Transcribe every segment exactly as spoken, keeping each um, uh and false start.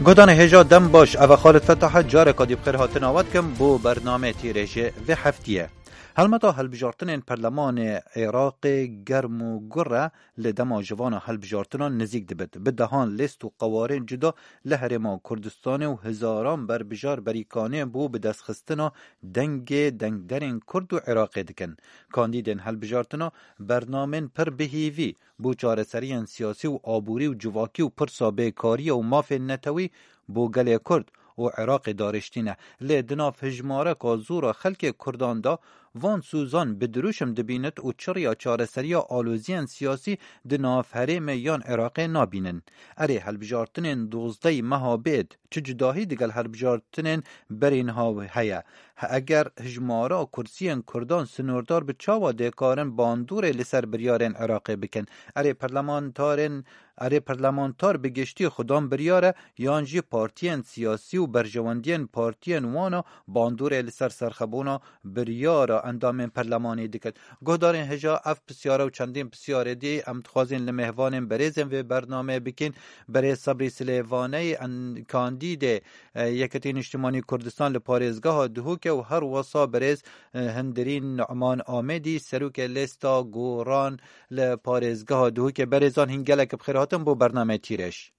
Guhdarên hêja dem baş, eva Xalid Fetah e, careka dî bi xêr hatina we dikim bo bernameyê tîrê ji vê heftiyê. Helmeta hilbijartinên perlemanê Iraqê germ û gur e, li dema ji vana hilbijartinan nizîk dibit. Bi dehan lêst û qewarên cuda li Herêma Kurdistanê û hezaran berbijar berîkanê bo bi destxistina dengê dengderên Kurd û Iraqê dikin. Kandîdên hilbijartina bernamên pir bi hêvî bo çareseriyên siyasî û aborî û civakî û pirsa bêkariya û mafên netewî bo gelê Kurd û Iraqê darêştîne. Lê di nav hijmareka zora xelkê Kurdan de van sûzan bi dirûşim dibînit û çirya çareseriya aloziyên siyasî di nav herêmê yan Iraqê nabînin. Erê, hilbijartinên dozdehê meha bêt çi cudahî digel hilbijartinên berî niha heye? He, eger hijmara kursiyên Kurdan sinordar bi, çawa dê karin bandorê li ser biryarên Iraqê bikin? Erê, parlamentarên, erê, parlamentar bi giştî xudan biryar e, yan jî partiyên siyasî û berjewendiyên partiyên wan a bandorê li ser serxebûna biryara endamên perlemanê dikin? Guhdarên hêja, ev pisyare û çendîn pisyarê dî em dixwazin li mêvanên berêzên vê bernameyê bikin. Berêz Sebrî Silêvaneyî, en-, kandîdê e, Yeketî Niştimanî Kurdistan li parêzgeha Duhokê û her wesa berêz, e, Hindirîn Numan Amêdî, serokê lêsta goran li parêzgeha Duhokê. Berêzan, hîn gelek bi xêr hatin bo bernameyê Tîreş.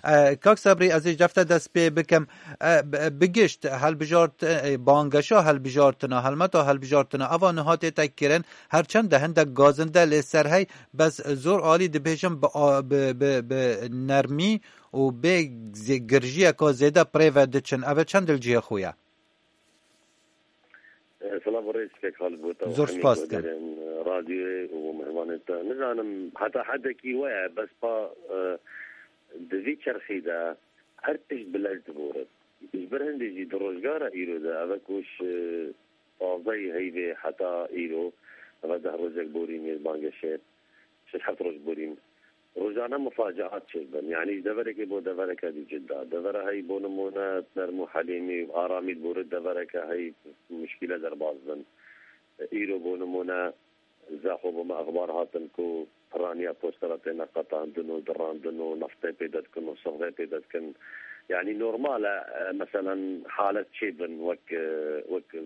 E, Kak Sebrî, ez ê ji defte dest pê bikim. E, bi, bi gişt helbijart-, e, bangeşa helbijartina, helmeta helbijartina, eva niha tête kirin, her çend de hindek gazinde lê ser hey, bes zor alî dibêjim bi a-, bi, bi, bi nermî û bê zê-, girjiyeka zêde bi rê ve diçin. Ev e çend li cihê xwe ye? E, silav û rêz kek Xalid bo te û Zor hemî spas dikim. Guhdarên, e, radyoyê û mihmanên te. Nizanim heta hedekî we ye, bes pa, e, di vî çerxî de her tişt bi lez diborin. Ji ber hindê jî di rojgara îro de, ev e ku ji pazdehê heyvê heta îro, ev e deh rojek borî mêzbangeşê. Şeş heft roj borîn. Rojane mifacaat çêdibin. Yanî ji deverekê bo devereke dî cida. Devera hey bo nimûne nerm û helîmî û aramî diborit, devereke hey muşkîle derbas bin. Îro bo nimûne zexwe bo me exbar hatin ku piraniya postera têne qetandin û dirandin û naftê pêde dikin û sivxê pêde dikin. Yanî normal e, e, meselen halet çêbin wek, e, wek, e,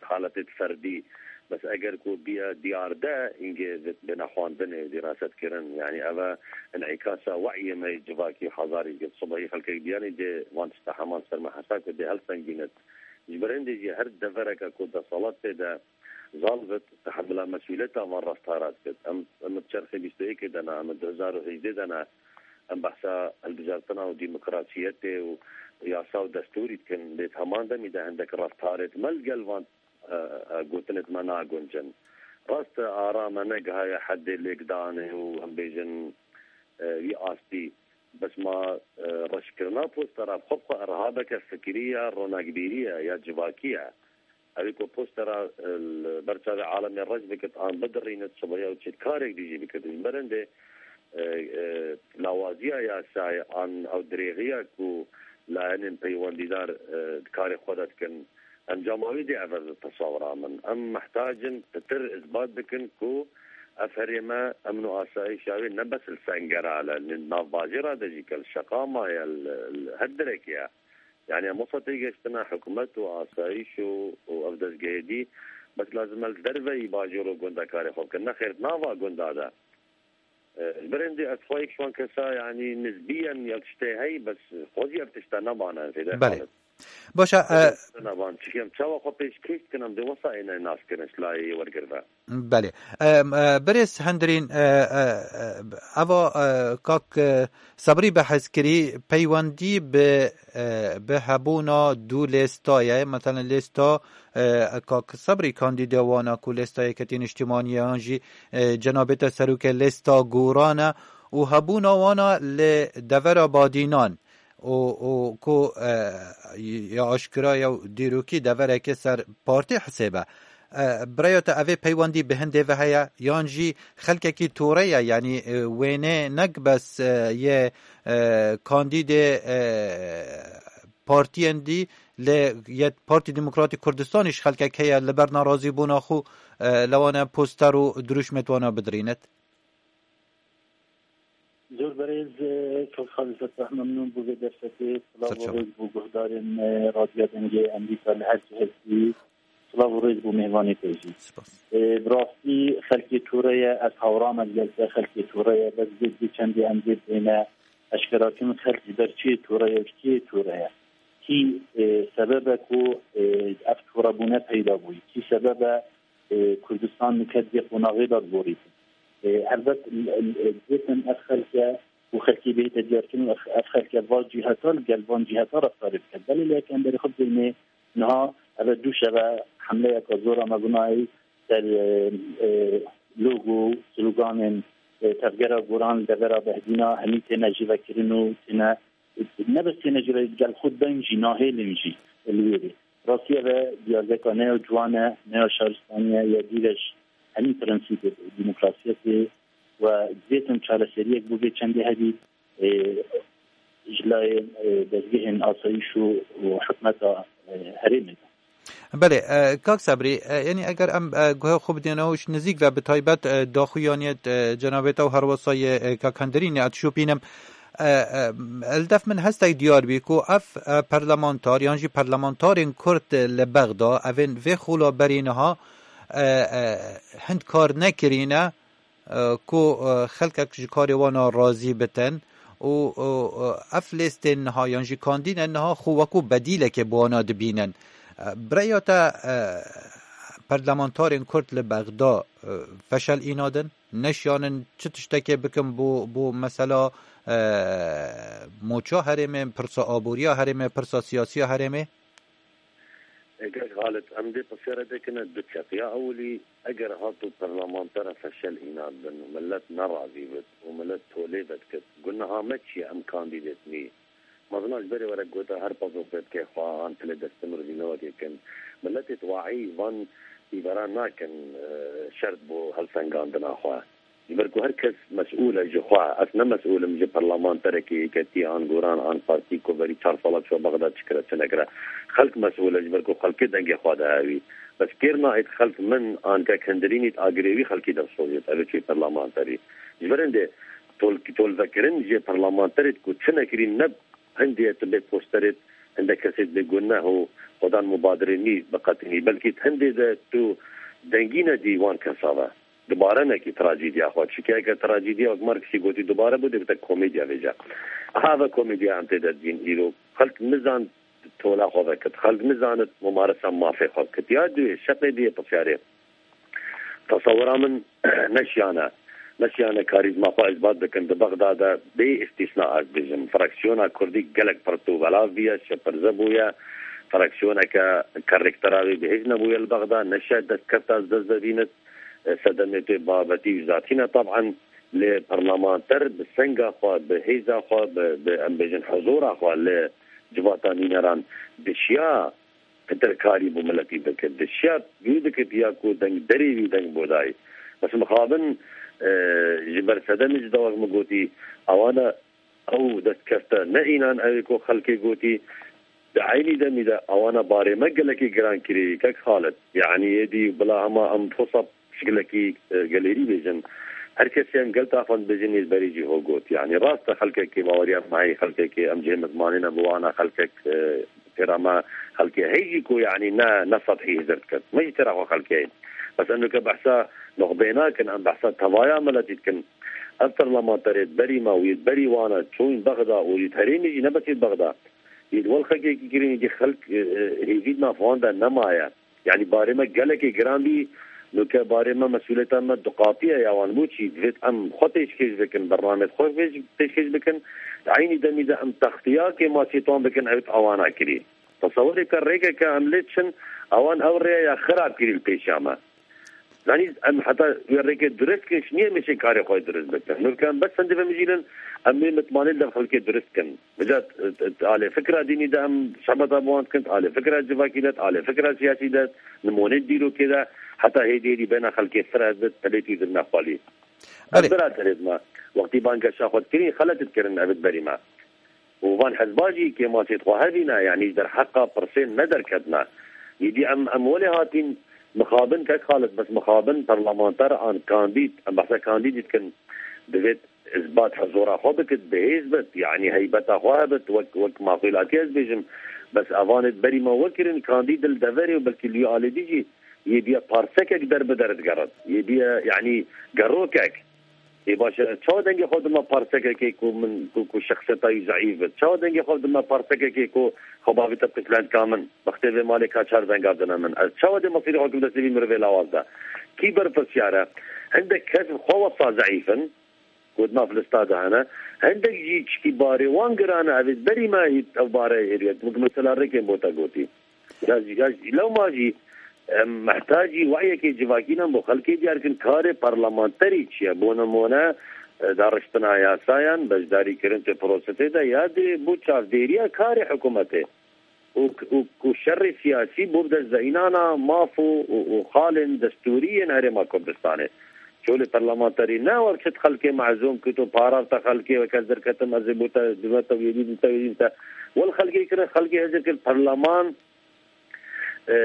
haletê ferdî. Bes eger ku biya diyar de, hingê vê bêne xwendinê, dîraset kirin. Yanî ev e înîkasa we'yê me yê civakî, hezarî gel sibehî xelkek biyanî dê van tişta heman ser me hesa ku dê helsengînit. Ji ber hindê jî her devereke ku desthilat tê de zal bit, tehemila mesûliyeta van reftara dikit. Em, em di çerxê bîst û yekê de ne, em di du hezar û hejdeh de ne. Em behsa hilbijartina û demokrasiyetê û yasa û destûrî dikin. Lê di heman demî de hindek reftarê me li gel van e, e, gotinê me naguncin. Rast e, ara me negihaye hedê lêkdanê û em bêjin, e, wî astî. Bes ma, e, reşkirina postera bi xwe bi xwe irhabeke fikirî ya ronakbîrî ye, ya civakî ye. Ew ê ku postera, e, li ber çavê alemê reş bikit an bidirînit, sibeya ew çê karek dî jî bikit. Ji ber hindê, e, e, lawaziya yasayê an ew dirêxiya ku layenên peywendîdar, e, di karê xwe de dikin, Encama wî dê ev e ji tesawira min. Em mihtac in pitir îsbat bikin ku ev herême emn û asayişa wê ne bes li Sengeral e, li navbajêra de jî ke li Şeqama ye, li, li her derekê ye. Yanî em wisa têgeştine hikûmet û asayîş û, û ev dezgehê dî bes lazim e li derveyî bajêr û gunda karê xwe bikin. Nexêr di nava gunda de. E, ji ber hindê ez xwe yek ji wan kesa, yanî nizbîyen ya tiştê hey, bes xwe jî ev tişta nemane zêde Belê. Xalid. Baş e, e, Nemane. Çi em çawa xwe pêşkêş dikin, em dê wesa êne nas kirin ji layê wergir ve. Belê. E, e, Birêz Hendirîn, e, e, e, eva, e, kak, e, Sebrî behs kirî peywendî bi, e, bi hebûna du lêsta ye, mesela lêsta, e, kak Sebrî kandîdê wana ku lêsta Yeketî Niştimanî ye, yan jî e, cenabê te serokê lêsta goran e û hebûna wan a li devera Badînan û, û ku, e, ya aşkira ya dîrokî deverekê ser partî hisêbe. E, bi raya te evê peywendî bi hindê ve heye yan jî xelkekî tore ye, yanî, e, wênê nek bes, e, yê, e, kandîdê, e, partiyên dî lê yê Partî Demokratîk Kurdistanî ji xelkek heye li ber nerazîbûna xwe, e, li wan e poster û dirûşmê di wan a bidirînit? Zor berêz, e, Kak Xalîfet, zehf memnûn bû vê derfetê. Silav û rêz bû guhdarên, e, Radyoya Dengê Amerîka li her cihekî. Silav û rêz bû mêvanê te jî. Spas. E, bi rastî xelkê tore ye, ez hawra me gel te, xelkê tore ye, bes vê, vê çendê em vê bêne eşkerakirin xelk ji ber çiyê tore ye û ji kê tore ye. Kî, e, sebeb e ku, e, ev torebûne peyda bûyî? Kî sebeb e, e, Kurdistan nike di vê qonaxê de diborîtin? E, helbet, e, e, dibêtin ev xelke û xelkê bihête diyarkirin û ev, ev xelke va ciheta li gel van ciheta reftarê bike. Belê lê yek em berê xwe bidênê niha ev e du şeve hemleyeke zor e me binayî ser, e, e, logo, sloganên, e, tevgera goran li devera Behdîna hemî têne jîvekirin û têne, ne bes têne jî ve, gel xwe deng jî nahêlin jî li wê rê. Rastî ev e diyardeka ne ya ciwan e, ne ya şaristanî ye, ya dûr e ji hemî prensîpê demokrasiyetê we dibêtin çareseriyek bû vê çendê hebî, e, ji layê, e, dezgehên asayîş û, û hikûmeta, e, herêmê de. Belê, e, kak Sebrî, e, yanî eger em, e, guhê xwe bidêne û ji nizîk ve bi taybet, e, daxuyaniye, e, cenabê te û herwesa yê, e, kak Hendirînê ez dişopînim, e, e, li def min hestek diyar bî ku ev, e, parlamentar yan jî parlamentarên Kurd li Bexda, evên vê xola berî niha, e, e, hind kar nekirîne, e, ku, e, xelkek ji karê wan a razî bitin û, û, û ev lêstên niha yan jî kandînên niha xwe wekû bedîlekê bi wana dibînin. E, bi rêya te, e, parlamentarên Kurd li Bexda, e, feşel îna din? Neşiyanin çi tiştekê bikin bo, bo mesela, e, moça herêmê, pirsa aboriya herêmê, pirsa siyasiya herêmê? Eger Xalid, em dê pirsiyare dêkine du çep. Ya ewilî, eger hato parlamentara feşel îna bin û millet nerazî bit û millet tolê vedikit, ku niha me çi ye, em kandîdêt nî. Mezina ji berê were gota her pazo pê dike xwe an tilê destê min rûvî newekê kin. Milletê di wahî van îvera nakin, e, şert bo helsengandina xwe. Ji ber ku her kes mesûl e ji xwe. Ez ne mesûl im ji parlamenterekî yeketî an goran an partî ku berî çar sala çû Bexda çi kire çi nekire. Xelk mesûl e ji ber ku xelkê dengê xwe dihe wî. Bes kêr nahêt xelk min an kek Hendirînî di agirê wî xelkî de bisozêt. Ev ê çûyê parlamenterî. Ji ber hindê tol-, tolvekirin jê parlamenterê ku çi nekirî ne hindê tu bê posterê hinde kesê dibê ku ne ho xwedan mubadirê nî biqetinî. Belkî hindê de tu dengî nedî wan kesa ve. Dubare nekî trajîdiya xwe. Çike eger trajîdiya wek Marksî gotî dubare bû, dê bite komedya vêca. Aha ve komedya em tê de dibîn îro. Xelk nizan tola xwe vekit. Xelk nizanit mumaresa mafê xwe bikit. Ya duyê, şeqê duyê pisyarê. Tesewira min neşiyane. Neşiyane karîzma xwe îsbat bikin. Di Bexda de bê îstîsna ez dibêjim. Fraksiyona Kurdî gelek pirt û belav bûye, şepirze bûye. Fraksiyoneke karektera wê bihêz nebûye li Bexda. Neşe destkefta ez dest de bînit. Sedemê tê babetî û zatî ne taban. Lê parlamenter bi senga xwe, bi hêza xwe, bi, bi em bêjin huzura xwe li civata nîneran dişiya pitir karî bo miletî bike. Dişiya wî dikit ya ku dengderê wî deng bo dayî. Bes mixabin, e, ji ber sedemê ji dawek min gotî, awana ew destkefte ne înan ew ê ku xelkê gotî, di eynî demî de awana barê me gelekî giran kirî, kek Xalid. Yanî êdî bila hema em fosa pişkilekî, e, gelêrî bêjin. Her kesê em gel taxan bêjin, yê berî jî ho got. Yanî rast e, xelkekê baweriya me heye, xelkekê em cihê mizmanê ne bi wana xelkek, e, têra me xelkê hey jî ku yanî ne, ne sethî hizir diket. Me jî têra xwe xelkê heye. Bes em nuke behsa nuxbê nakin, em behsa tevaya miletî dikin. Ev parlamenterê berî me û yê berî wana çûn Bexda û yê herêmê jî ne bes yê Bexda. Yê di wel xelkekî kirin, yê xelk, e, e, hêvî di nav wan de nemaye. Yanî barê me gelekê giran bî, nuke barê me mesûliyeta me duqatiye ya wan bû çî divêt em xwe pêşkêş bikin, bernameyê xwe pêş-, pêşkêş bikin. Di eynî demî de em textiya kêmasiyê wan bikin, ew awana kirî. Tesewirê ke rêkeke em lê çin, ewan ew rêya ya xirab kirî li pêşiya me. Zanî em heta wê rêkê durist kin, ji niyê mêşê karê xwe durist bikin. Nuke em bes hindê vemijînin, em wê mitmanê li dev xelkê durist kin. Vêca, e, e, alê fikra dînî de em şebeta bi wan dikin, alê fikra civakî de, alê fikra siyasî de, nimûnê dîrokê de, heta hêdî hêdî bêhna xelkê fireh bit, telê tî dirine xwalî. Belê. Ev bira derêt me. Wextî bangeşa xwe dikirî, xelet dikirin ev berî me. Û van hezba jî kêmasê xwe hevî ne, yanî ji derheqa pirsê ne derketine. Îdî em, em welê hatîn mixabin kek Xalid, bes mixabin parlamenter an kandîd, em behsa kandîdî dikin, divêt Îsbat huzura xwe bikit, bi hêz bit, yanî heybeta xwe hebit, wek, wek maqûlatî ez bêjim. Bes evanê berî me wekirin, kandîd li deverê û belkî li wî alî dî jî yê biye parsekek der bi der digerin. Yê biye, yanî gerokek. Ê baş e, çawa dengê xwe dime parsekekê ku min, ku, ku şexseta wî zeîf bit? Çawa dengê xwe dime parsekekê ku xwe bavîte pislendka min? Wextê vê malê ka çar denga dine min. Ez çawa dê mesîrê xwe kim destê vî mirovê lawaz de? Kî berpirsiyar e? Hindek kes bi xwe wesa zeîf in, ku di nav lista de hene. Hindek jî çikî barê wan giran e, evê berî me hît ev bare hêriye. Wek mesela rêkên bo te gotî. Ya jî, ya jî, lewma jî, em, mehtacî wehyekê civakî ne bo xelkê diyar kin karê parlamenterî çi ye. Bo nimûne, e, dariştina yasayan, beşdarîkirin ti prosesê de ya dê bo çavdêriya karê hikûmetê. Û, û, û şerê siyasî bo bi dest de înana maf û, û, û xalên destûrî yên Herêma Kurdistanê. Çolê parlamenterî ne wer çit xelkê mezûm kit û parar te xelkê weke ez derketim, ez ê bo te, dime te wêdî, dime te wêdî te. Wel xelkê kirin, xelkê hezir kir, perleman, e,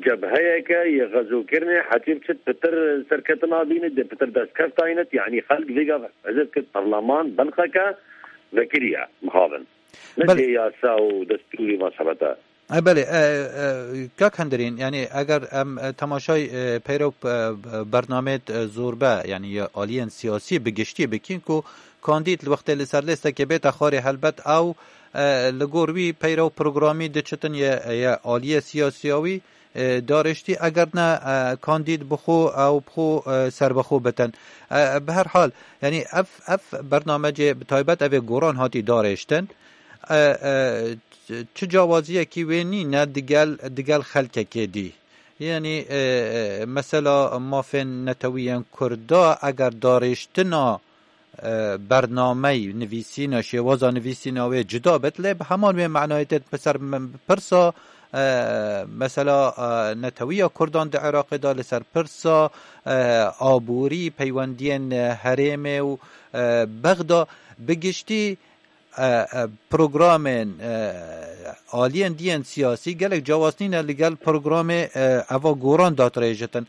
cebheyeke yê xezokirinê, hetî bi çit pitir serketina bînit, dê pitir destkefta înit, yanî xelk vêga hezir kir, perleman belqeke vekirî ye, mixabin. Ne Belê. dê yasa û destûrî van sebete. E, belê, e, e, kak Hendirîn, yanî eger em, e, temaşay, e, peyrew, e, bernameyê, e, zorbe, yanî ya aliyên siyasî bi giştî bikin ku kandîd li wextê li ser lêstekê bête xwarê, helbet ew, e, li gor wî peyrew programî diçitin ye, ye aliyê siyasiya wî, e, darêştî, eger ne, e, kandîd bi xwe ew bi xwe, e, serbixwe bitin. E, bi her hal, yanî ev, ev bernamecê bi taybet ev ê goran hatî darêştin. E, e, çi cawaziyekî wê nîne digel, digel xelkekê dî. Yanî, e, e, mesela mafên netewî yên Kurda eger darêştina, e, bernameyî nivîsîna, şêwaza nivîsîna wê cuda bit, lê bi heman wê manayê tê. Bi ser m-, pirsa, e, mesela, e, netewiya Kurdan di Iraqê de, li ser pirsa, e, aborî, peywendiyên, e, herêmê û, e, Bexda, bi giştî, e, e, programên, e, aliyên diyên siyasî gelek cawaz nîne li gel programê, e, eva goran datirêjitin.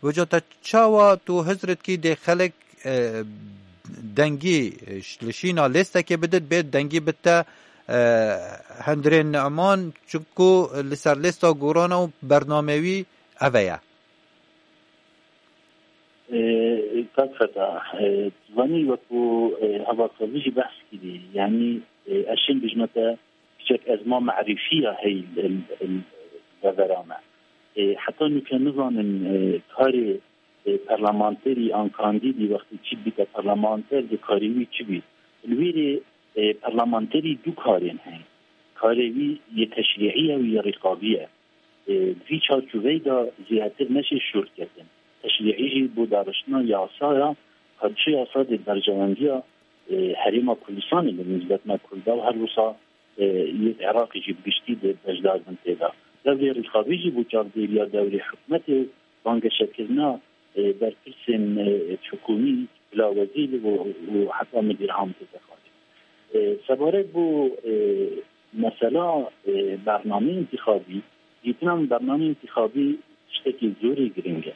Wêca te çawa tu hizr dikî dê xelek, e, dengî, e, ş-, li şîna lêstekê bidit, bê dengî bite, e, Hendirê Neman, çunku li ser lêsta gorana û bernamê wî eve ye? E, kak Feta, e, tu zanî wekû, e, hevalkevî jî behs kirî, yanî, e, ez şên bijme te piçek ezma merîfiya hey, e, e, devera me. E, heta nûke nizanin, e, karê, e, parlamenterî an kandîdî wextê çî bîte parlamenter di karê wî çi bî. Li wî rê, e, parlamenterî du karên heye. Karê wî yê teşrîî ye û yê rîqabî ye. E, di vî çarçoveyê de zêdetir neşê şûr ketin. Teşrîî jî bo dariştina yasaya, ka çi yasa dê berjewendiya, e, Herêma Kurdistanê li nîsbet me Kurda û her wisa, e, yê Iraqê jî bi giştî dê beşdar bin tê de. Dewrê rîqabî jî bo çavdêriya dewrê hikûmetê, bangeşekirina, e, berpirsên, e, hikûmî, bila wezîr û, û heta midîr am tê de xalê. E, sebarek bo, e, mesela, e, bernameyê întîxabî, dîtina min bernameyê întîxabî tiştekî zorê giring e.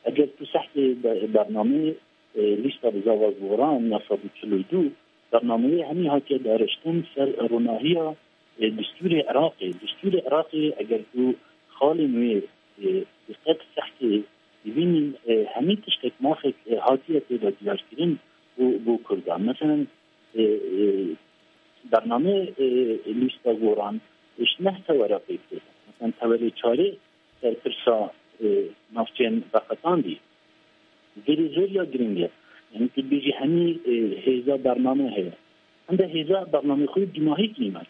Eger tu sehkê be-, bernameyê, e, lîsta bi zava goran ya sed û çil û du, bernameyê hemî hatiye dariştin ser ronahiya, e, distûrê Iraqê. Distûrê Iraqê eger tu xalên wê, e, diqet sehkê dibînî, e, hemî tiştek mafek, e, hatiye tê de diyarkirin û bo Kurdan. Meselen, e, e, bername, e, lîsta goran, e, ji neh tewera pêk tê. Meselen, tewerê çarê ser pirsa, e, navçeyên veqetandî. Gelê zor ya giring e. Yanî tu dibêjî hemî, e, hêza bername heye. Hinde hêza bernamê xwe yê dîmahî kî ne.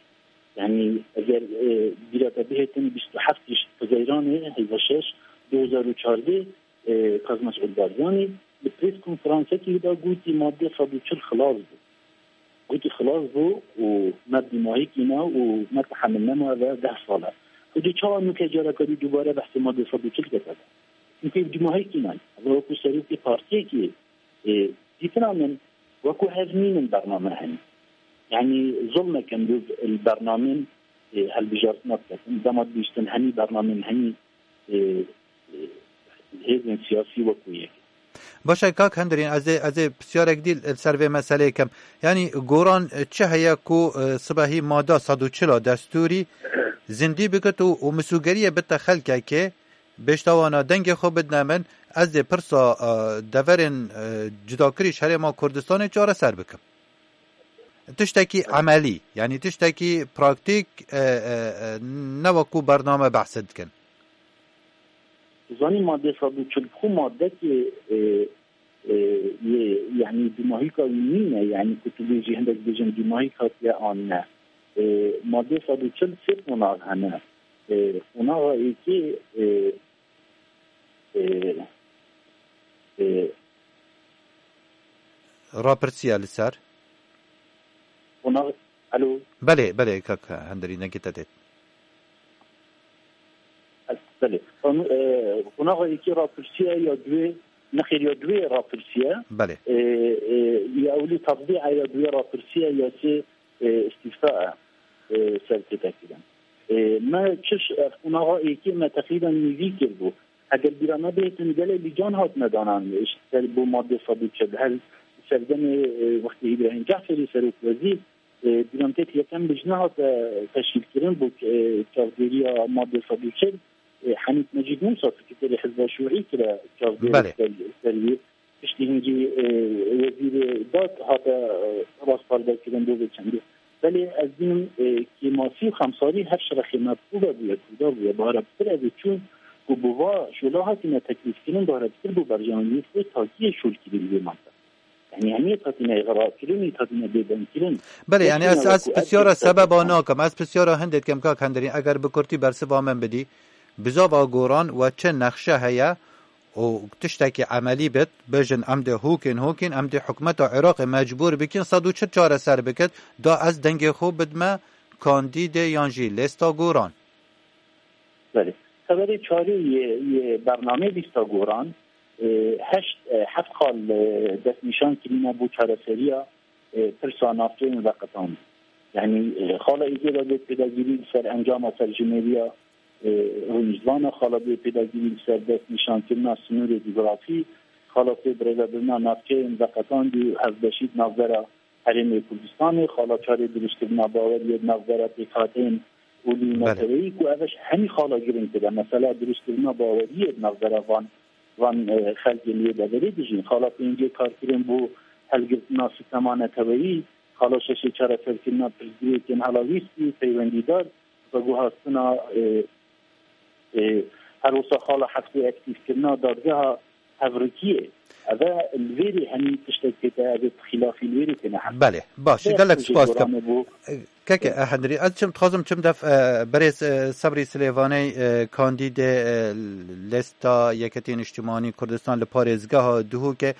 Yanî eger, e, bîra te bihêtin bîst û heft Hizeyranê, hêza şeş, du hezar û çardeh, e, Kazim Mesûd Barzanî li prês konferansekî wî de gotî madde sed û çil xilas bû. Gotî xilas bû û me dîmahî kî ne û me tehemil nema ve deh sal e. Xwedê çawa nûke careke dî dubare behsê madde sed û çil kete de? Çimkî ev dîmahî kî ne. Ev wekû serokê partiyekî, e, dîtina min wekû hev nînin bername hene. Yanî zulmek in bi li bernamên, e, hilbijartina biketin. Dema dibîstin hemî bernamên hemî, e, e, hêzên siyasî wekû yek. Baş e, kak Hendirîn, ez ê, ez ê pisyarek dî li ser vê meseleyê kim. Yanî goran çi heye ku, e, sibehî mada sed û çil a destûrî zindî bikit û, û misûgeriyê bite xelkekê, bêştawana dengê xwe bidine min, ez dê pirsa, e, deverên, e, cudakirî ji Herêma Kurdistanê çareser bikim. Tiştekî emelî, yanî tiştekî praktîk, e, e, e, ne wekû bername behse dikin. Zanî madde sed û çil bi xwe madekê, e, e, yê, yanî dûmahîka wî nîne, yanî ku tu bêjî hindek bêjin dûmahîk hatiye an ne. E, madde sed û çil sê qonax hene. E, qonaxa êkê, e, e, e, Rapirsiya li ser. Qonax, alo? Belê, belê, kak Hendirî, dengê te têt. Belê. Qan-, e, qonaxa yekê rapirsiya ya duê, nexêr ya duê rapirsiya. Belê. E, e, ya ewlî tevdîa ya duê rapirsiya ya sê, e, îstîfta e, e, ser tête kirin. E, me çi ş-, ev qonaxa êkê me teqrîben nîvî kiribû. Eger bîra me bihêtin gelê lîcan hatine danan, e, ser bo madde sed û çil. Her serdemê, e, wextê Îbrahîm Cehferî serokwezîr, e, bîra me têt yekem lijne hate teşkîlkirin bo, e, çavdêriya madde sed û çil. E, Henîf Mecîd Mûsa, sekreterê Hizba Şûî kire çavdêrê Belê. ser, ser wî. Piştî hingî, e, wezîrê dad hate, e, rastparvekirin bo vê çendê. Belê ez bînim, e, kêmasî û xemsarî her şerexê me bi xwe ve bûye, Kurda bûye, bi herebtir ez ê çûn ku bi va şola hatine teklîfkirin, bi herebtir bo berjewendiyê xwe takiyê şolkirî li vê mantê. Yanî hemiyê hatine îxrakirin, hatine bêdengkirin. Belê, yanî ez, ez pisyara sebeba nakim, ez pisyara hindê dikim, kak Hendirîn, eger bi kurtî bersiva min bidî, bizava goran we çi nexşe heye û tiştekî emelî bit, bêjin em dê hûkên hûkên, em dê hikûmeta Iraqê mecbûr bikin sed û çil çareser bikit, da ez dengê xwe bidme kandîdê yan jî lêsta goran. Belê. Seberê çarê yê, yê bernameyê lîsta goran, e, heşt, e, heft xal, e, destnîşan kirîne bo çareseriya, e, pirsa navçeyên veqetan. Yanî, e, xala êkê de dê pêdagirî li ser encama serjimêriya, e, rûniştvana, xala dê pêdagirî li ser destnîşankirina sinûrê cografî, xala sê birêvebirina navçeyên veqetandî û hevbeşî di navbera Herêmê Kurdistanê, xala çarê dirustkirina baweriyê di navbera pêkhateyên olî û Belê. neteweyî ku ev e ji hemî xala girîngtir e. Mesela dirustkirina baweriyê di navbera van, van, e, xelkê li wê deverê dijîn. Xala pêncê karkirin bo helgirtina sîstema neteweyî, xala şeşê çareserkirina pirsgirêkên helalwîst û peywendîdar, veguhastina, e, e, her wisa xala heftê aktîfkirina dadgeha hevrikiyê. Ev e li vêrê hemî tiştek tête, ev ê bi xîlafî li wêrê têne heft. Belê, baş, Vê gelek hemî spas dikim. goranê bû. Keke, e, Hendirî, ez çim dixwazim çim def, e, berêz, e, Sebrî Silêvaney, e, kandîdê, e, lêsta Yeketî Niştimanî Kurdistan li parêzgeha Duhokê.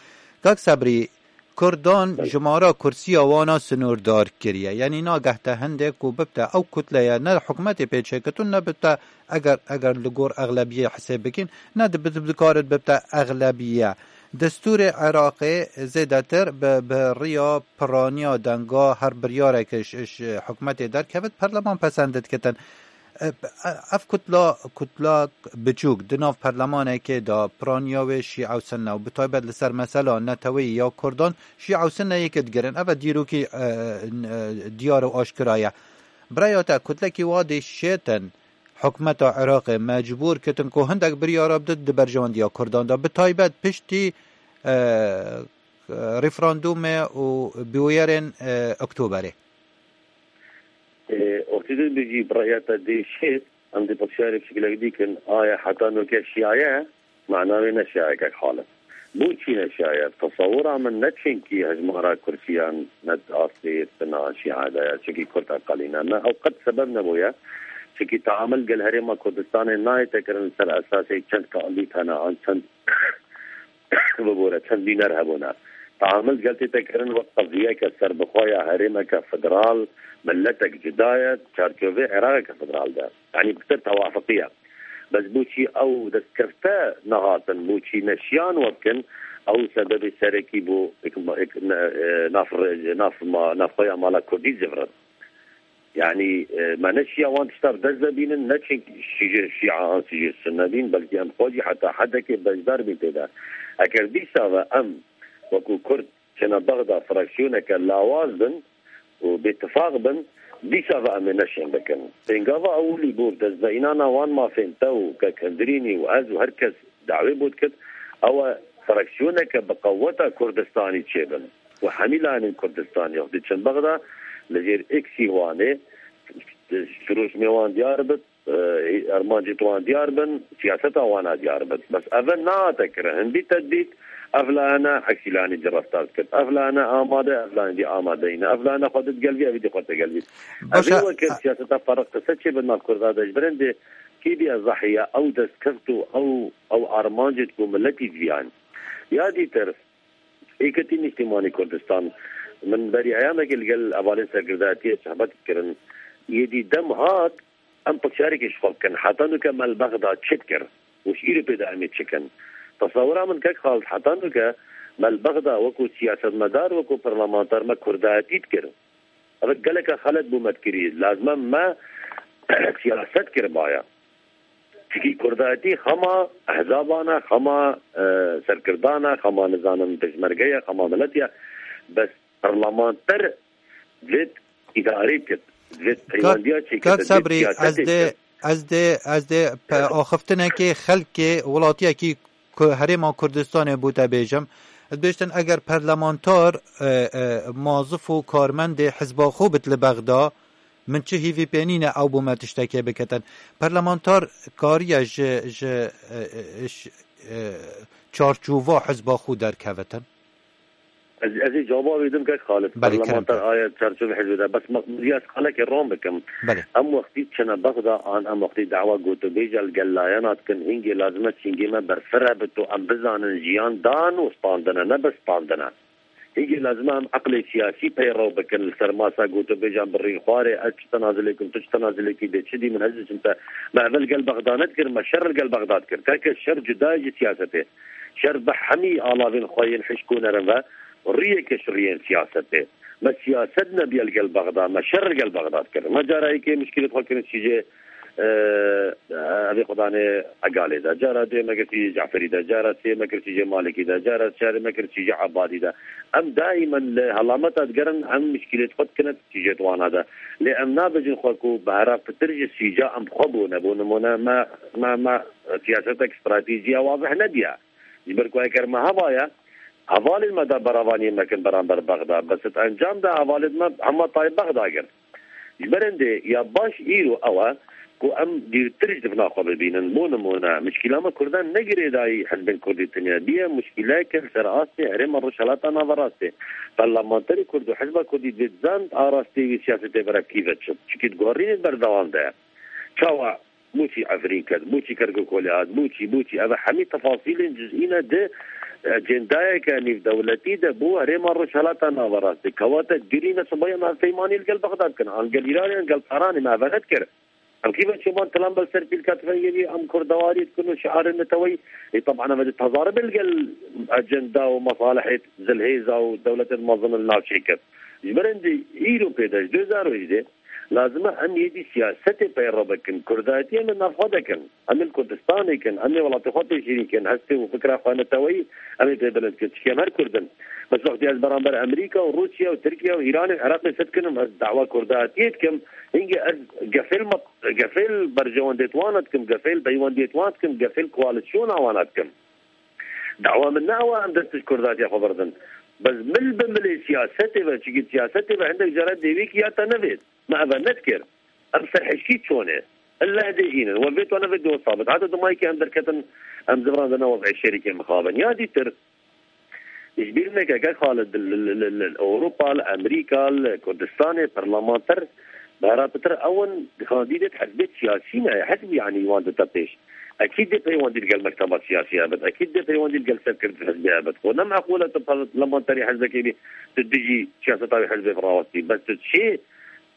Kak Sebrî, Kurdan Belê. jimara kursiya wana sinûrdar kiriye. Yanî nageh te hindê ku bibte ew kutleye ne hikûmetê pêçêketûn ne bibte eger, eger li gor exlebiyê hisêb bikin, ne di, bi, dikarit bibte exlebiye. Destûrê Iraqê zêdetir bi, bi riya piraniya denga her biryarek ji, ji hikûmetê derkevit, perleman pesend dikitin. E, ev kutla, kutla biçûk di nav perlemanekê de piraniya wê Şîe û Sunne û bi taybet li ser mesela neteweyî ya Kurdan Şîe û Sunne yek digirin. Ev e dîrokî, e, e, diyar û aşkira ye. Bi raya te kutlekî wa dê şêtin hikûmeta Iraqê mecbûr kitin ku hindek biryara bide di berjewendiya Kurdan de. Bi taybet piştî, e, referandûmê û bûyerên, e, Oktoberê. Ê, wextî tu dibêjî bi raya te dê şêt, em dê pirsiyarê piçkilek dî kin, aya heta noke şiya ye, mana wê ne şiya ye kek Halid. Bo çî ne şiya ye? Bi tesewira min ne çimkî hejmara kursiyan ne di astê sina şiya de ye, çimkî kurd eqelî ne. Me ew qet sebeb nebûye. Çimkî teamul gel Herêma Kurdistanê nayête kirin li ser esasê çend kandîd hene an çend bibore, çend nûner hebûne. Teamul gel tête kirin wek qeziyeke serbixwe ya herêmeke federal, miletek cuda ye, çarçovê Iraqeke federal de. Yanî bi te tewafiqiye. Bes bo çî ew destkefte nehatin, bo çî neşiyan we bikin, ew sebebê serekî bo ik-, ik-, ne-, e, nav re-, nav ma-, navxweya mala Kurdî civirin. Yanî, e, me ne şiya wan tişta bi dest de bînin, ne çin şî-, şîa an şî-, sunne bîn, belkî em xwe jî heta hedekê beşdar bîn tê de. Eger dîsa ve em wekû Kurd çine Bexda fraksiyoneke lawaz bin û bêtifaq bin, dîsa ve em ê neşên bikin. Pêngava ewilî bo destveînana wan mafên te û kek Hundirînî û ez û her kes dawê bo dikit, ew e fraksiyoneke bi qeweta Kurdistanî çêbin. Û hemî layenên Kurdistanî wextî çin Bexda, li jêr êksî Wanê, şirûşmê wan diyar bit, e, armancê wan diyar bin, siyaseta wana diyar bit. Bes eve nehate kirin. Hindî te dît, ev layene, eksî layenî cî reftar dikit. Ev layene amade, ev layene dî amade nîne. Ev layene xwe digelvî, ev dî xwe digelvî. Ev Baş e, ê wekir siyaseta ferq qise çê bin nav Kurda de. Ji birên dê kî bîye zahiya ew destkeft û ew, ew armancê ku miletî diviyan. Ya dîtir, Êketî Nîştîmanî Kurdistan, min berî eyamekê li gel hevalên serkirdayetiyê sohbet kirin. Yê dî dem hat, em pirsiyareke ji xwe bikin. Heta nûke me li Bexda çi dikir? Û ji îro pê de em ê çi kin? Tesewira min kek Xalid, heta nûke me li Bexda wekû siyasetmedar, wekû parlamenter me kurdayetî dikir. Ev geleke xelet bû me dikirî. Lazim e me siyaset kiribaya. Çikî kurdayetî xema ehzaban e, xema, e, serkirdan e, xema nizanim pêşmerge ye, xema miletî ye. Bes parlamenter divêt îdarê kit, divêt Kak, peywendiya çêkit, kak divêt Sebrî, ez siyasetê dê, kit. ez dê, ez dê pe-, axiftinekê xelkê welatiyekî ku herêma Kurdistanê bû te bêjim. Ez bêjtin eger parlamentar, e, e, mazif û karmendê hizba xwe bit li Bexda, min çi hîvî pê nîne ew bo me tiştekê bikitin. Parlamentar kariye ji, ji, e, e, ji, e, çarçova hizba xwe derkevitin? Ez, ez ê cewaba wê dim kek Xalid. Belê, kerem Parlamenter ke. Aye çarçovê hizbê de. Bes me, ez qalekê ron bikim. Belê. Em wextî çine Bexda an em wextî dawa gotûbêja li gel layena dikin, hingê lazim e çingê me berfireh bit û em bizanin jiyan dan û standine, ne bi standine. Hingê lazim e em eqlê siyasî peyrew bikin, li ser masa gotûbêjan birîn xwarê, ez çi tenazilê kim, tu çi tenazilê kî dê, çi dî min ez diçim te. Me ev li gel Bexda nedikir, me şer li gel Bexda dikir. Keke şer cuda ye ji siyasetê. Şer bi hemî alavên xwe yên hişk û nerm ve riyeke ji riyên siyasetê. Me siyaset nebiye li gel Bexda, me şer li gel Bexda dikir. Me cara yekê mişkîlê xwe kirin çîjê, e, evê xwedanê Egalê de. Cara duyê me kir çîjê Caferî de. Cara sê me kir çîjê Malikî de. Cara çarê me kir çîjê Ebadî de. Em daîmen li helameta digerin, em mişkîlê xwe dikine çîjê wana de. Lê em nabêjin xwe ku bi hera pitir ji sîca em xwe bûne. Bo nimûne me, me, me siyasetek stratejî ya wazih nebiye. Ji ber ku eger me hevaye, hevalên me de beravaniyê me kin beramber Bexda. Bes di encam de hevalên me hema tayê Bexda girt. Ji berên dê ya baş îro ew e ku em dîrtir ji dibna xwe bibînin. Bo nimûne, mişkîla me Kurdan ne girêdayî hizbên Kurdî tenya. Diye mişkîleke li ser astê herêma Rojhelata Naverastê. Parlamenterê Kurd û hizba Kurdî dê zand arastê wî siyasetê berevkî ve çi. Çikî di guherînê berdewam de ye. Çawa Boçî Efrîn ket? Boçî Kerkûk holê hat? Boçî, boçî? Ev hemî tefasîlên cizî ne di ecendayeke nêvdewletî de bo herêma Rojhelata Naverastê. Kewate girî ne sibayê em hevpeymanî li gel Bexda dikin. An gel Îranê, an gel Tehranê me eve nedikir. Em kî ve çoban tilan ber ser pîlka tifengê bî, em kurdewarî dikin û şiarên neteweyî. Ê, teban em ê tezaribê li gel ecenda û mesalihê zilhêza û dewletên mezin li navçê ket. Ji berên dê îro pê de, ji du hezar û hejdeh, lazim e em yê dî siyasetê peyre bikin. Kurdayetiyê em ê navxwe de kin. Em ê li Kurdistanê kin. Em ê welatê xwe pêşîrî kin. Hestê û fikra xwe neteweyî em ê pê bilind kin. Çikî em her Kurd in. Bes wextî ez beramber Amerîka û Rûsya û Tirkiye û Îranê û Iraqê se dikinim, ez dawa Kurdayetiyê dikim. Hingê ez gefê li me, gefê li berjewendiyê wan dikim, gefê li peywendiyê wan dikim, gefê li koalîsyona wan dikim. Dawa min ne ew e em dest ji Kurdayetiya xwe birdin. Bes mil bi milê siyasetê ve, çikî siyasetê ve hindek cara dêwî kî ya te nevêt. Me eve nedikir. Em serhişkî çone. Ille dê hînin. We vê tane vê do sabit. Heta dimayekî em derketin, em ziviran de ne wez'ê şerîkê mixabin. Ya dîtir, ji bîr neke, kek Xalid, li, li, li, li Ewropa, li Amerîka, li Kurdistanê, parlamenter, bi hera pitir ew in kandîdêt hizbê siyasî ne, hizb yanî wan dite pêş. Ekîd dê peywendî li gel mekteba siyasî hebit. Ekîd dê peywendî li gel serkirdê hizbê hebit. Xwe ne meqûl e tu parlamenterê hizbekê bî, tu dijî siyaseta wê hizbê birawestî. Bes tu çê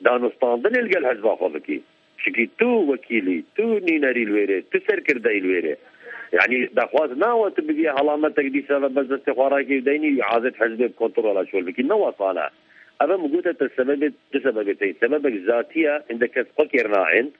danûstandinê li gel hizba xwe bikî. Çikî tu wekîlî, tu nînerî li wêrê, tu serkirdeyî li wêrê. Yanî daxwaz nawe tu bibîye helametek dîsa ve bes destê xwe rakî û deynî azet hizbê bi kontrola şol bikî. Ne wesane. Ev min gote te sebebê, du sebebê tê. Sebebek zatî ye, hindek kes xwe kêr naên.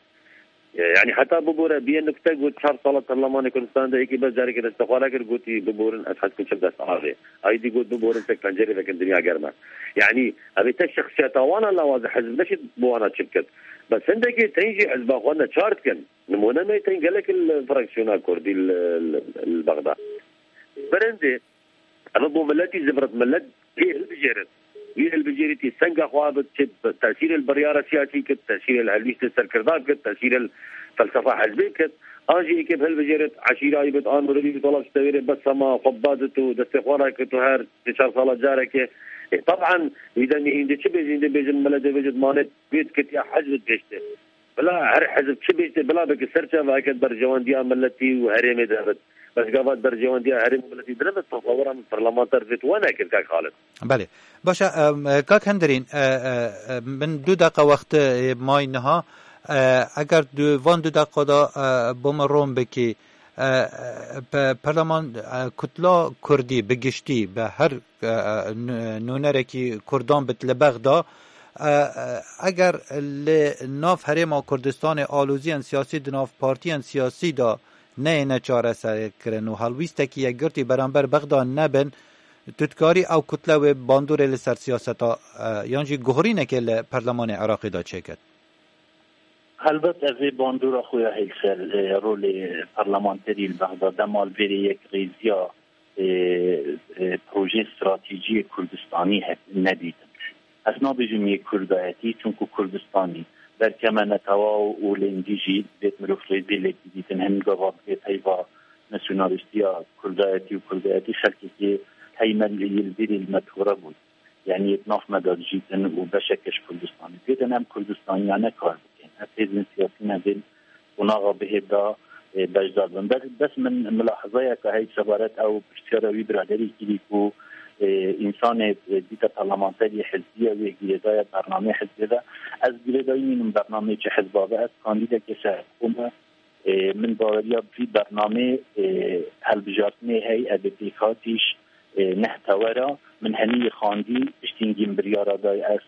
E, yani heta bibore, biye nukte got, çar sala Perlemanê Kurdistan de yekî bes carekê destexwara kir, gotî biborin, ez hez kim çim dest avê. Ay dî got biborin, tek pencerê vekin, dinya germ e. Yani ev ê te şexsiyeta wan e, lawaz e, hizb neşit bi wana çi bikit. Bes hindekê tên jî hizba xwe neçar dikin. Nimûne me tên gelek li fraksiyona Kurdî li, li, li Bexda. Berendê, ev bo miletî zivirit, milet pê hilbijêrit. Wî hilbijêrîtî senga xwe bit, çi tesîrê li biryara siyasî kit, tesîrê li helwîstê serkirda kit, tesîrê li felsefa hizbê kit. An jî êkê bi hilbijêrit, eşîra wî bit, an mirovî bit, wala stewêrê bes hema xwe badit û destê xwe rakit û her sê çar sala carekê. E, taban, wî demî hîndê çi bêjin, hîndê bêjin milet dê bêjit manê wê dikit ya hizb dibêjtê. Bila her hizb çi bêjtê, bila bike ser çavayeke berjewendiya miletî û herêmê de bit. Bes gava berjewendiya herêmê û miletî dinebit, tasawira min parlamenter vê tu we nekir, kak Xalid. Belê. Baş e, em, e, kak Hendirîn, e, e, e, min du deqa wextê may niha. E, eger du, van du deqa de, e, bo min ron bikî, e, e, pe-, perleman, e, kutla Kurdî bi giştî, bi her, e, e, nû-, nûnerekî Kurdan bit li Bexda, e, e, eger li nav Herêma Kurdistanê aloziyên siyasî di nav partiyên siyasî de neyêne çareserkirin û helwîstekî yekgirtî beramber Bexda nebin, tu dikarî ew kutle wê bandorê li ser siyaseta, e, yan jî guhorînekê li Perlemanê Iraqê de çêket? Helbet ev ê bandora xwe ya hêl ser, e, rolê parlamenterî li Bexda dema li vêrê yekrêziya, e, e, projeyê stratejiyê Kurdistanî he-, nedîtin. Ez nabêjim yê Kurdayetî, çunku Kurdistanî berke me netewa û lê hindî jî dibêt mirov rêzê lê bidîtin. Hin gava dibê peyva nasyonalîstiya Kurdayetî û Kurdayetî xelkekê hey me li, li vîrê li me tore bû. Yanî yê di nav me de dijîtin û beşeke ji Kurdistanê. Dibêtin em Kurdistaniyane kar bikin. Ev hêzên siyasî me bên qonaxa bihêv de, e, beşdar bin. Bes, bes min milahezayeke heyî sebaret ew pirsiyara wî biraderî kirî ku, e, însanê, e, dîte parlamenterî hizbiye wê girêdaye bernameyê hizbê ve. Ez girêdayî nînim bernameyê çi hizba ve. Ez kandîdekê serhikû me. E, min baweriya vî bernameyê, e, helbijartinê hey, ev ê pêkhatîş, e, neh tewera. Min henî yê xandî, piştî hingî min biryara day ez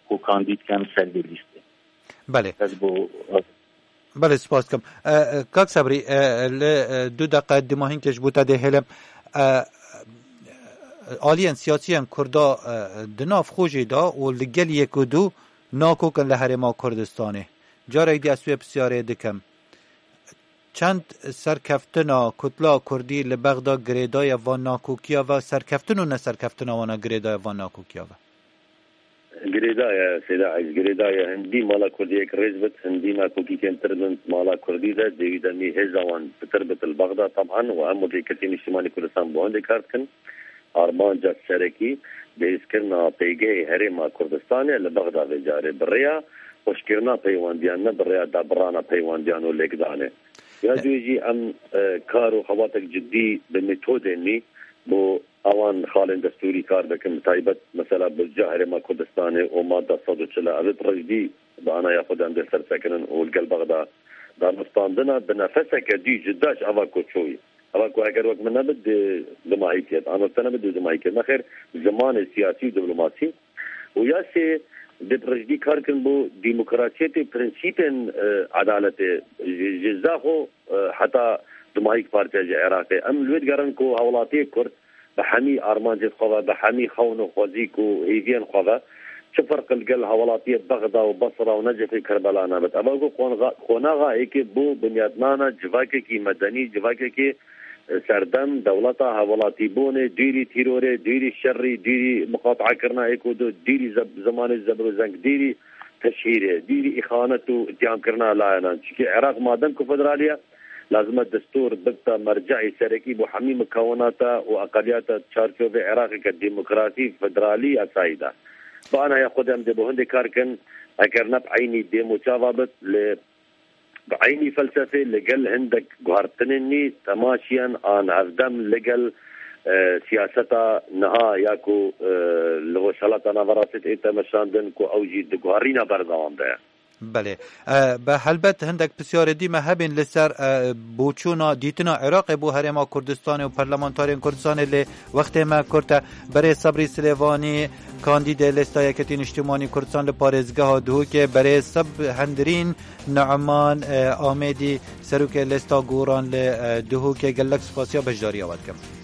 ku kandîd kem ser vê lîstê. Belê. Ez bo Belê, spas dikim. E, e, Kak Sebrî, e, li, e, du deqe dîmahînkê ji bo te dê hêlim. E, aliyên siyasiyên Kurda, e, di nav xwe jî de û li gel yek û du nakokin li Herêma Kurdistanê. Carek dî ez wê pisyarê dikim. Çend serkeftina kutla Kurdî li Bexda girêdaye van nakokiya ve, serkeftin û neserkeftina wana girêdaye van nakokiya ve? Girêdaye, Seyda Eziz, girêdaye. Hindî mala Kurdî yek rêz bit, hindî nakokîkên tir bin mala Kurdî de, dêwî demî hêza wan pitir bit li Bexda, taban, û hemû rêkirtî niştimanî Kurdistan bo hindê kar dikin. Armanca serekî bihêzkirina pêgehê Herêma Kurdistanê li Bexda vê carê bi rêya xweşkirina peywandiyan, ne bi rêya dabirana peywandiyan û lêkdanê. Ya E- duwê jî em, e, kar û xebatek cidî bi metodên nî bo ewan xalên destûrî kar dikin, bi taybet mesela budca Herêma Kurdistanê û madde sed û çil, ev ê bi rijdî bi anaya xwe de em dê sersekinin û li gel Bexda danûstandina bi nefeseke dî cuda ji eva ku çûyî. Eva ku eger wek min nebit, dê dumahî ket. An wek te nebit, dê dumahî ket. Nexêr, zimanê siyasî û diplomasî û ya sê dê bi rijdî kar kin bo demokrasiyetê, prensîpên, e, edaletê, ji, ji Zaxo, e, heta dumahîk partiya ji Iraqê. Em li wê digerin ku hawlatiyê Kurd bi hemî armancên xwe ve, bi hemî xewn û xwezîk û hêviyên xwe ve, çi ferq li gel hawlatiyê Bexda û Basra û Necefê Kerbela nebit. Ev ku qonxa-, qonaxa êkê bo binyatnana civakekî medenî, civakekî, e, serdem, dewleta hevwelatîbûnê, dûrî tîrorê, dûrî şerî, dûrî miqateakirina êk û du, dûrî zeb-, zimanê zebr û zeng, dûrî teşhîrê, dûrî îxanet û îtîhamkirina layenan. Çimkî Iraq madem ku federalî ye, lazim e destûr bibte merce'ê serekî bo hemî mukewinata û eqeliyata çarçovê Iraqeke demokrasî, federalî, yasayî de. Bi anaya xwe de em dê bo hindê kar kin, eger ne bi eynî dêm û çava bit, li bi eynî felsefê li gel hindek guhertinên nî, temaşiyan an hevdem li gel, e, siyaseta niha ya ku, e, li Rojhelata Naverastê tê meşandin ku ew jî di guherîna berdewam de ye. Belê. E, be helbet hindek pisyarê dî me hebin li ser, e, boçûna dîtina Iraqê bo Herêma Kurdistanê û parlamentarên Kurdistanê, lê wextê me kurt e. Berê Sebrî Silêvanî, kandîdê Lêsta Yeketî Niştimanî Kurdistan li parêzgeha Duhokê, berê Seb Hendirîn Nu'man, e, Amêdî, serokê Lêsta Goran li, e, Duhokê, gelek spasiya beşdariya we dikim.